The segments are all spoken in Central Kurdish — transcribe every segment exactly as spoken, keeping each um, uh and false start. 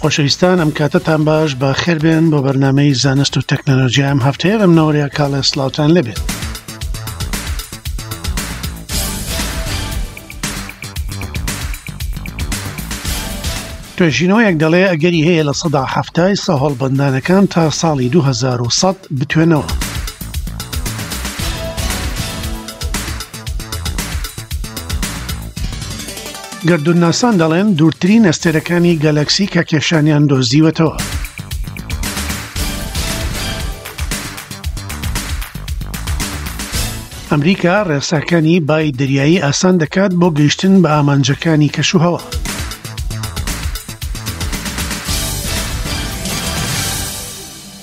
خۆشەویستان، ئەم کاتەتان باش، بە خێربێن بۆ بەرنامەی زانست و تەکنەلۆژیا. ئەم هەفتەیە بەم نەوەریا کاڵێ سڵاوتان لێبێت. توێژینەوەیەک دەڵێ ئەگەری هەیە لە سەدا حەفتای سەهۆڵبەندانەکان تا ساڵی دوو هەزار و سەد بتوێنەوە. گەردوونناسان دەڵێن دوورترین ئەستێرەکانی گەلەکسی کە کێشانیان دۆزیوەتەوە. ئەمریکا ڕێساکانی بای دەریایی ئاسان دەکات بۆ گەیشتن بە ئامانجەکانی کەشوهەوا.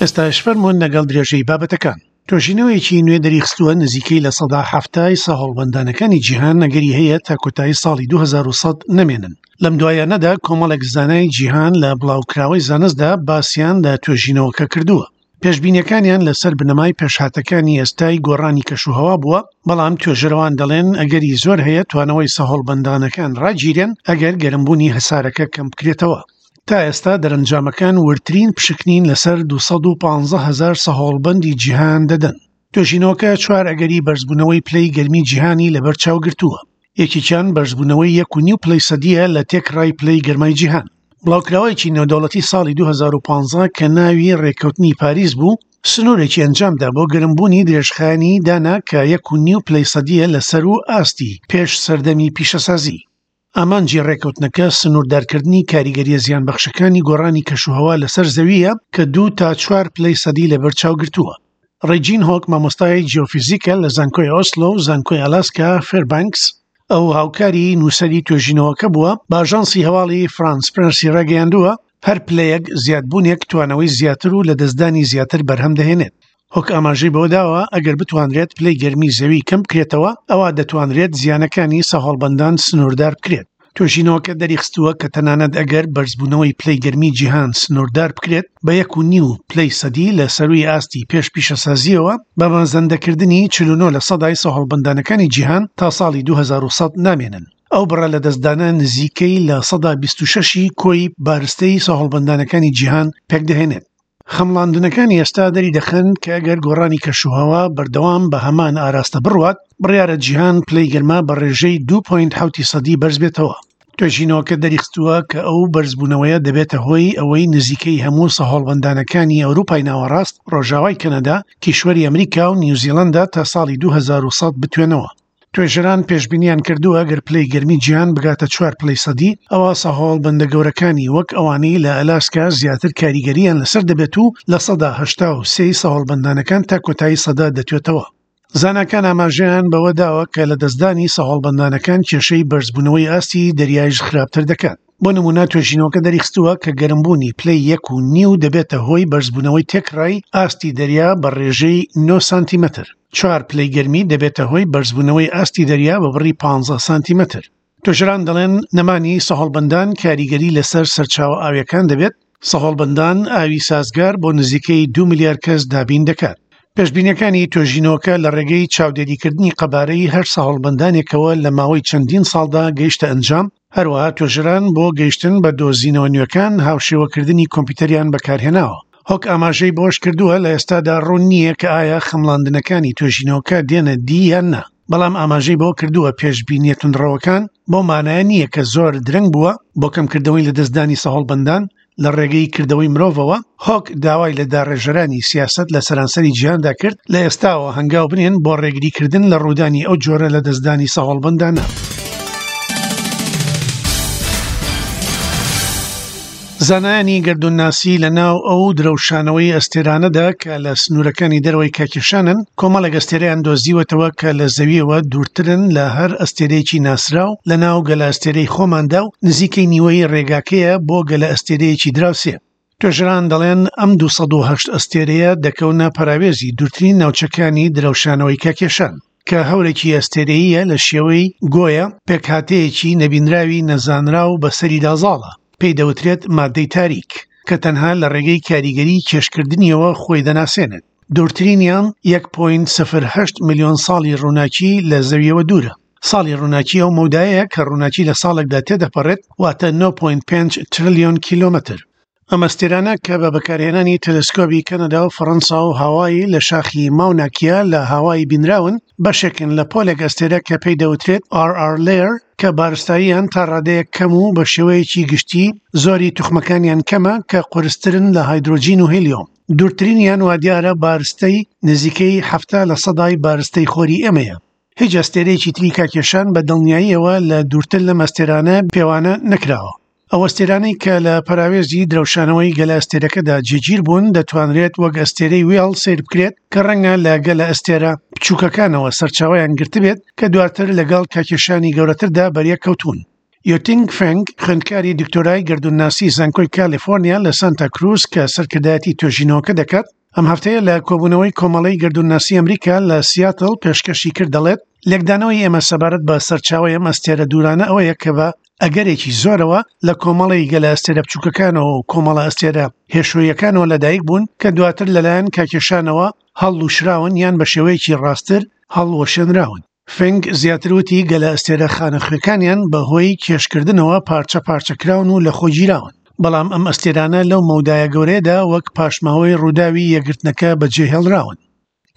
ئێستاش فەرمونون لەگەڵ درێژەی بابەتەکان. توێژینەوەیەکی نوێ دەریخستووە نزیکەی لە سەدا حەفتای سەهۆڵبەندانەکانی جیهان ئەگەری هەیە تا کۆتایی ساڵی دوو هەزار و سەد نەمێنن. لەم دوایانەدا کۆمەڵێک زانای جیهان لە بڵاوکراوەی زانستدا باسیان لە توێژینەوەکە کردووە. پێشبینیەکانیان لەسەر بنەمای پێشهاتەکانی ئێستای گۆڕانی کەشوهەوا بووە، بەڵام توێژەرەوان دەڵێن ئەگەری زۆر هەیە توانەوەی سەهۆڵبەندانەکان ڕاگیرێن ئەگەر گەرمبوونی هەسارەکە کەم بکرێتەوە. تا ئێستا دەرەنجامەکان وردترین پشکنین لەسەر دوو سەد و پانزە هەزار سەهۆڵبەندی جیهان دەدەن. توێژینەوەکە چوار ئەگەری بەرزبوونەوەی پلەی گەرمی جیهانی لەبەرچاو گرتووە. یەکێکیان بەرزبوونەوەی یەک و نیو پلەی سەدیە لە تێکڕای پلەی گەرمای جیهان. بڵاوکراوەیەکی نێودەوڵەتی ساڵی دوو هەزار و پانزە کە ناوی ڕێککەوتنی پاریس بوو، سنوورێکی ئەنجامدا بۆ گەرمبوونی درێژخایەنی دانا کە یەک و نیو پلەی سەدیە لەسەر و ئاستی پێش سەردەمی پیشەسازی. ئامانجی ڕێککەوتنەکە سنووردارکردنی کاریگەریە زیانبەخشەکانی گۆڕانی کەشوهەوا لەسەر زەویە کە دوو تا چوار پلەی سەدی لەبەرچاو گرتووە. ڕێجین هۆک مامۆستای جیۆفیزیکە لە زانکۆی ئۆسلۆ و زانکۆی ئالاسکا فێربانکس، ئەو هاوکاری نووسەری توێژینەوەکە بووە، بە ئاژانسی هەواڵی فرانس پرسی ڕاگەیاندووە هەر پلەیەک زیادبوونێک توانەوەی زیاتر و لەدەستدانی زیاتر بەرهەم دەهێنێت. هۆک ئاماژەی بەوە داوە ئەگەر بتوانرێت پلەی گەرمی زەوی کەم بکرێتەوە، ئەوە دەتوانرێت زیانەکانی سەهۆڵبەندان سنووردار بکرێت. توێژینەوەکە دەریخستووە کە تەنانەت ئەگەر بەرزبوونەوەی پلەی گەرمی جیهان سنووردار بکرێت بە یەک و نیو پلەی سەدی لە سەروی ئاستی پێش پیشەسازیەوە، بە مەزەندەکردنی چل و نۆ لە سەدای سەهۆڵبەندانەکانی جیهان تا ساڵی دوو هەزار و سەد نامێنن. ئەو بڕە لە دەستدانە نزیکەی لە سەدا بیست و شەشی کۆی بارستەی سەهۆڵبەندانەکانی جیهان پێکدەهێنێت. خەمڵاندنەکانی ئێستا دەری دەخەن کە ئەگەر گۆڕانی کەشوهەوا بەردەوام بە هەمان ئاراستە بڕوات، بڕیارە جیهان پلەی گەرما بە ڕێژەی دوو پۆینت حەوتی سەدی بەرز بێتەوە. توێژینەوەکە دەریخستووە کە ئەو بەرزبوونەوەیە دەبێتە هۆی ئەوەی نزیکەی هەموو سەهۆڵبەندانەکانی ئەوروپای ناوەڕاست، ڕۆژاوای کەنەدا، کیشوەری ئەمریکا و نیوزیلەندا تا ساڵی دوو هەزار و سەد بتوێنەوە. توێژەران پێشبینیان کردووە ئەگەر پلەی گەرمی جیهان بگاتە چوار پلەی سەدی، ئەوە سەهۆڵبەندە گەورەکانی وەک ئەوانەی لە ئەلاسکا زیاتر کاریگەریان لەسەر دەبێت و لە سەدا هەشتا و سێی سەهۆڵبەندانەکان تا کۆتایی سەدا دەتوێتەوە. زاناکان ئاماژەیان بەوە داوە کە لە دەستدانی سەهۆڵبەندانەکان کێشەی بەرزبوونەوەی ئاستی دەریایش خراپتر دەکات. بۆ نمونە توێژینەوەکە دەریخستووە کە گەرمبوونی پلەی یەک و نیو دەبێتە هۆی بەرزبوونەوەی تێکڕای ئاستی دەریا بە ڕێژەی نۆ سانتیمەتر. چوار پلەی گەرمی دەبێتە هۆی بەرزبوونەوەی ئاستی دەریا بە بڕی پانزە سانتیمەتر. توێژەران دەڵێن نەمانی سەهۆڵبەندان کاریگەری لەسەر سەرچاوە ئاویەکان دەبێت. سەهۆڵبەندان ئاوی سازگار بۆ نزیکەی دوو ملیار کەس دابین دەکات. پێشبینیەکانی توێژینەوەکە لە ڕێگەی چاودێریکردنی قەبارەی هەر سەهۆڵبەندانێکەوە لە ماوەی چەندین ساڵدا گەیشتە ئەنجام. هەروەها توێژەران بۆ گەیشتن بە دۆزینەوە نوێکان هاوشێوەکردنی کۆمپیوتەریان بەکارهێناوە. هۆک ئاماژەی بۆش کردووە لە ئێستادا ڕوون نییە کە ئایا خەمڵاندنەکانی توێژینەوەکە دێنە دی یان نا، بەڵام ئاماژەی بۆ کردووە پێشبینیە توندڕەوەکان بۆ مانایە نییە کە زۆر درەنگ بووە بۆ کەمکردنەوەی لەدەستدانی سەهۆڵبەندان لە ڕێگەی کردەوەی مرۆڤەوە. هۆک داوای لە داڕێژەرانی سیاسەت لە سەرانسەری جیهاندا کرد لە ئێستاوە هەنگاو بنێن بۆ ڕێگریکردن لە ڕوودانی ئەو جۆرە لە دەستدانی سەهۆڵبەندانە. زانایانی گەردوونناسی لە ناو ئەو درەوشانەوەی ئەستێرانەدا کە لە سنوورەکانی دەرەوەی کاکێشانن، کۆمەڵێک ئەستێرەیان دۆزیوەتەوە کە لە زەویەوە دوورترن لە هەر ئەستێرەیەکی ناسراو لە ناو گەلە ئەستێرەی خۆماندا و نزیکەی نیوەی ڕێگاکەیە بۆ گەلە ئەستێرەیەکی دراوسێ. توێژەران دەڵێن ئەم دوو سەد و هەشت ئەستێرەیە دەکەونە پەراوێزی دوورترین ناوچەکانی درەوشانەوەی کاکێشان کە هەورێکی ئەستێرەیە لە شێوەی گۆیە، پێکهاتەیەکی نەبینراوی نەزانراو بەسەریدا زاڵە، پێی دەوترێت مادەی تاریک کە تەنها لە ڕێگەی کاریگەری کێشکردنیەوە خۆی دەناسێنێت. دوورترینیان یەک پۆینت سفر هەشت ملیۆن ساڵی ڕووناکی لە زەویەوە دوورە. ساڵی ڕووناکی ئەو مەودایەیە کە ڕووناکی لە ساڵێکدا تێدەپەڕێت، واتە نۆ پۆینت پێنج تریلیۆن کیلۆمەتر. ئەم ئەستێرانە کە بە بەکارهێنانی تەلەسکۆبی کەنەدا و فەڕەنسا و هاوایی لە شاخی ماوناکیا لە هاوایی بینراون، بەشێکن لە پۆلێک ئەستێرە کە پێی دەوترێت R R Lyrae کە بارستاییان تا ڕادەیەک کەم و بە شێوەیەکی گشتی زۆری توخمەکانیان کەمە کە قورسترن لە هایدرۆجین و هیلیۆم. دوورترینیان وادیارە بارستەی نزیکەی حەفتا لە سەدای بارستەی خۆری ئێمەیە. هیچ ئەستێرەیەکی تری کاکێشان بە دڵنیاییەوە لە دوورتر لەم ئەستێرانە پێوانە نەکراوە. ئەو ئەستێرانەی کە لە پەراوێزی درەوشانەوەی گەلە ئەستێرەکەدا جێگیر بوون دەتوانرێت وەک ئەستێرەی وێڵ سەیر بکرێت کە ڕەنگە لە گەلە ئەستێرە بچووکەکانەوە سەرچاوەیان گرتبێت کە دواتر لەگەڵ کاکێشانی گەورەتردا بەریەک کەوتوون. یوتینگ فێنگ، خوێندکاری دکتۆرای گەردوونناسی زانکۆی کالیفۆرنیا لە سانتا کروز کە سەرکردایەتی توێژینەوەکە دەکات، ئەم هەفتەیە لە کۆبوونەوەی کۆمەڵەی گەردوونناسی ئەمریکا لە سیاتڵ پێشکەشی کرد دەڵێت لێکدانەوەی ئێمە سەبارەت بە سەرچاوەی ئەم ئەستێرە دوورانە ئەوەیە کە بە ئەگەرێکی زۆرەوە لە کۆمەڵی گەلە ئەستێرە بچووکەکانەوە و کۆمەڵە ئەستێرە هێشۆیەکانەوە لەدایک بوون کە دواتر لەلایەن کاکێشانەوە هەڵلوشراون یان بە شێوەیەکی ڕاستتر هەڵوەشێنراون. فێنگ زیاتر وتی گەلە ئەستێرە خانەخوێکانیان بەهۆی کێشکردنەوە پارچە پارچە کراون و لەخۆگیراون، بەڵام ئەم ئەستێرانە لەو مەودایە گەورەیەدا وەک پاشماوەی ڕووداوی یەکگرتنەکە بەجێهێڵراون.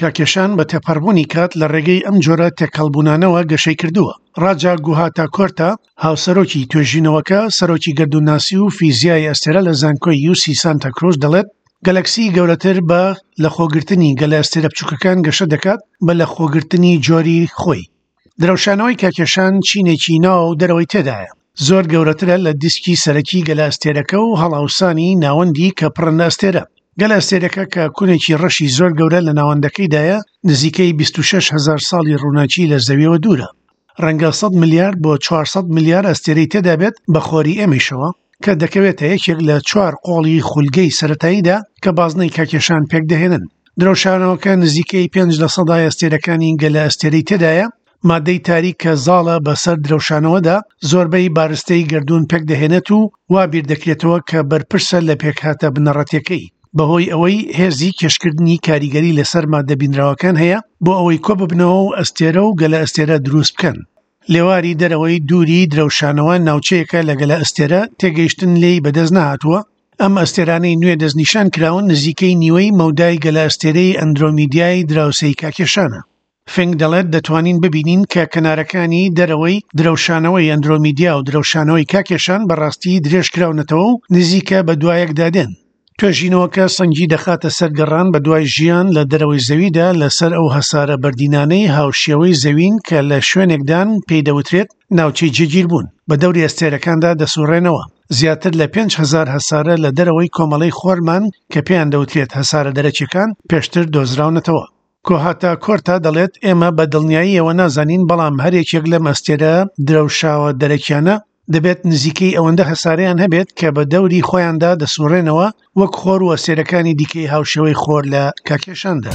کاکێشان بە تێپەڕبوونی کات لە ڕێگەی ئەم جۆرە تێکەڵبوونانەوە گەشەی کردووە. ڕاجا گوهاتا کۆرتا، هاوسەرۆکی توێژینەوەکە، سەرۆکی گەردوونناسی و فیزیای ئەستێرە لە زانکۆی یوسی سانتا کروز دەڵێت گەلەکسی گەورەتر بە لەخۆگرتنی گەلە ئەستێرە بچووکەکان گەشە دەکات بە لەخۆگرتنی جۆری خۆی. درەوشانەوەی کاکێشان چینێکی ناو و دەرەوەی تێدایە، زۆر گەورەترە لە دیسکی سەرەکی گەلە ئەستێرەکە و هەڵاوسانی ناوەندی کە پڕن لە ئەستێرە. گەلە ئەستێرەکە کە کونێکی ڕەشی زۆر گەورە لە ناوەندەکەیدایە نزیکەی بیست و شەش هەزار ساڵی ڕووناکی لە زەویەوە دوورە. ڕەنگە سەد ملیار بۆ چوار سەد ملیار ئەستێرەی تێدا بێت بە خۆری ئێمەیشەوە کە دەکەوێتە یەکێک لە چوار قۆڵی خولگەی سەتاییدا کە بازنەی کاکێشان پێک دەهێنن. درەوشانەوەکە نزیکەی پێنج لە سەدای ئەستێرەکانی گەلە ئەستێرەی تێدایە. مادەی تاریک کە زاڵە بەسەر درەوشانەوەدا زۆربەی بارستەی گەردوون پێک دەهێنێت و وا بیر دەکرێتەوە کە بەرپرسە لە پێکهاتە بنەڕەتیەکەی، بەهۆی ئەوەی هێزی کێشکردنی کاریگەری لەسەر مادە بینراوەکان هەیە بۆ ئەوەی کۆ ببنەوە و ئەستێرە و گەلە ئەستێرە دروست بکەن. لێواری دەرەوەی دووری درەوشانەوە ناوچەیەکە لە گەلە ئەستێرە تێگەیشتن لێی بەدەست نەهاتووە. ئەم ئەستێرانەی نوێ دەستنیشان کراون نزیکەی نیوەی مەودای گەلە ئەستێرەی ئەندرۆمیدیای دراوسێی کاکێشانە. فێنگ دەڵێت دەتوانین ببینین کە کەنارەکانی دەرەوەی درەوشانەوەی ئەندرۆمیدیا و درەوشانەوەی کاکێشان بەڕاستی درێژ کراونەتەوە و نزیکە بە دوایەکدا دێن. توێژینەوەکە سەنگی دەخاتە سەر گەڕان بە دوای ژیان لە دەرەوەی زەویدا لەسەر ئەو هەسارە بەردینانەی هاوشێوەی زەوین کە لە شوێنێکدان پێی دەوترێت ناوچەی جێگیر بوون، بە دەوری ئەستێرەکاندا دەسوڕێنەوە. زیاتر لە پێنج هەزار هەسارە لە دەرەوەی کۆمەڵەی خۆرمان کە پێیان دەوترێت هەسارە دەرەکیەکان پێشتر دۆزراونەتەوە. کۆهاتا کۆرتا دەڵێت ئێمە بە دڵنیاییەوە نازانین، بەڵام هەر یەکێک لەم ئەستێرە درەوشاوە دەرەکیانە دەبێت نزیکەی ئەوەندە هەسارەیان هەبێت کە بە دەوری خۆیاندا دەسوڕێنەوە وەک خۆر و ئەستێرەکانی دیکەی هاوشێوەی خۆر لە کاکێشاندا.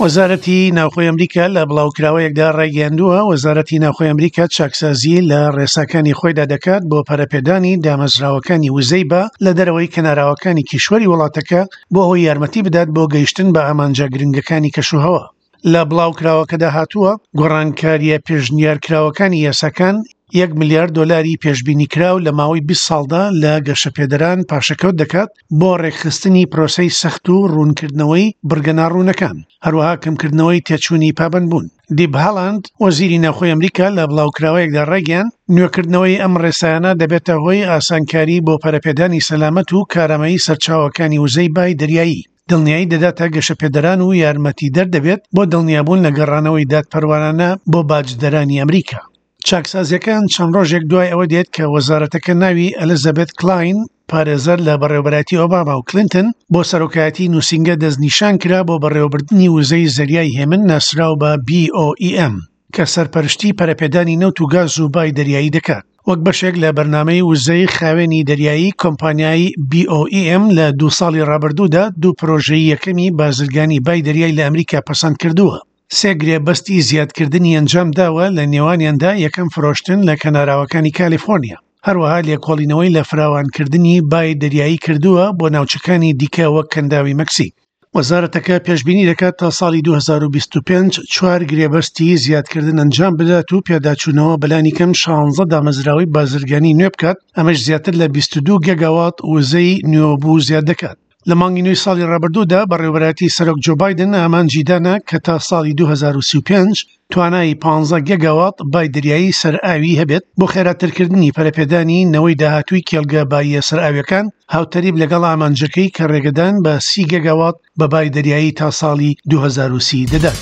وەزارەتی ناوخۆی ئەمریکا لە بڵاوکراوەیەکدا ڕایگەیاندووە وەزارەتی ناوخۆی ئەمریکا چاکسازی لە ڕێساکانی خۆیدا دەکات بۆ پەرەپێدانی دامەزراوەکانی وزەی با لە دەرەوەی کەناراوەکانی کیشوەری وڵاتەکە بۆ ئەوەی یارمەتی بدات بۆ گەیشتن بە ئامانجە گرنگەکانی کەشوهەوا. لە بڵاوکراوەکەدا هاتووە گۆڕانکاریە پێشنیارکراوەکانی یاساکان یەک ملیار دۆلاری پێشبینی کراو لە ماوەی بیست ساڵدا لە گەشەپێدەران پاشەکەوت دەکات بۆ ڕێکخستنی پرۆسەی سەخت و ڕوونکردنەوەی بڕگە ناڕوونەکان، هەروەها کەمکردنەوەی تێچوونی پابەندبوون. دیب هالاند، وەزیری ناوخۆی ئەمریکا لە بڵاوکراوەیەکدا ڕایگەیاند نوێکردنەوەی ئەم ڕێسایانە دەبێتە هۆی ئاسانکاری بۆ پەرەپێدانی سەلامەت و کارامەیی سەرچاوەکانی وزەی بای دەریایی، دڵنیایی دەداتە گەشەپێدەران و یارمەتی دەردەبێت بۆ دڵنیابوون لە گەڕانەوەی دادپەروەرانە بۆ باجدەرانی ئەمریکا. چاکسازیەکان چەند ڕۆژێک دوای ئەوە دێت کە وەزارەتەکە ناوی ئەلیزابێت کلاین، پارێزەر لە بەڕێوەبەرایەتی ئۆباما و کلینتن بۆ سەرۆکایەتی نووسینگە دەستنیشان کرا بۆ بەڕێوەبردنی وزەی زەریای هێمن ناسراو بە B O E M کە سەرپەرشتی پەرەپێدانی نەوت و گاز و بای دەریایی دەکات. وەک بەشێک لە بەرنامەی وزەی خاوێنی دەریایی کۆمپانیای B O E M لە دوو ساڵی ڕابردوودا دوو پرۆژەی یەکەمی بازرگانی بای دەریای لە ئەمریکا پەسەند کردووە. سێ گرێبەستی زیادکردنی ئەنجام داوە لە نێوانیاندا یەکەم فرۆشتن لە کەناراوەکانی کالیفۆرنیا، هەروەها لێکۆڵینەوەی لە فراوانکردنی بای دەریایی کردووە بۆ ناوچەکانی دیکە وەک کەنداوی مەکسیک. وەزارەتەکە پێشبینی دەکات تا ساڵی دوو هەزار و بیست و پێنج چوار گرێبەستی زیادکردن ئەنجام بدات و پێداچوونەوە بەلانی کەم شانزە دامەزراوەی بازرگانی نوێ بکات، ئەمەش زیاتر لە بیست و دوو گێگاوات وزەی نوێبوو زیاد دەکات. لە مانگی نوێی ساڵی ڕابردوودا بەڕێوەبەرایەتی سەرۆک جۆ بایدن ئامانجی دانا کە تا ساڵی دوو هەزار و سی و پێنج توانای پانزە گێگاوات بای دەریایی سەرئاوی هەبێت بۆ خێراترکردنی پەرەپێدانی نەوەی داهاتووی کێڵگە باییە سەرئاویەکان، هاوتەریب لەگەڵ ئامانجەکەی کە ڕێگەدان بە سی گێگاوات بە بای دەریایی تا ساڵی دوو هەزار و سی دەدات.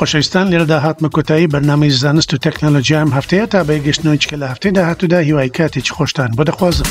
خۆشەویستان، لێرەدا هاتمە کۆتایی بەرنامەی زانست و تەکنەلۆژیا ئەم هەفتەیە. تا بەیەکگەشتنەوەی چکە لە هەفتەی داهاتوودا هیوای کاتێکی خۆشتان بۆ دەخوازم.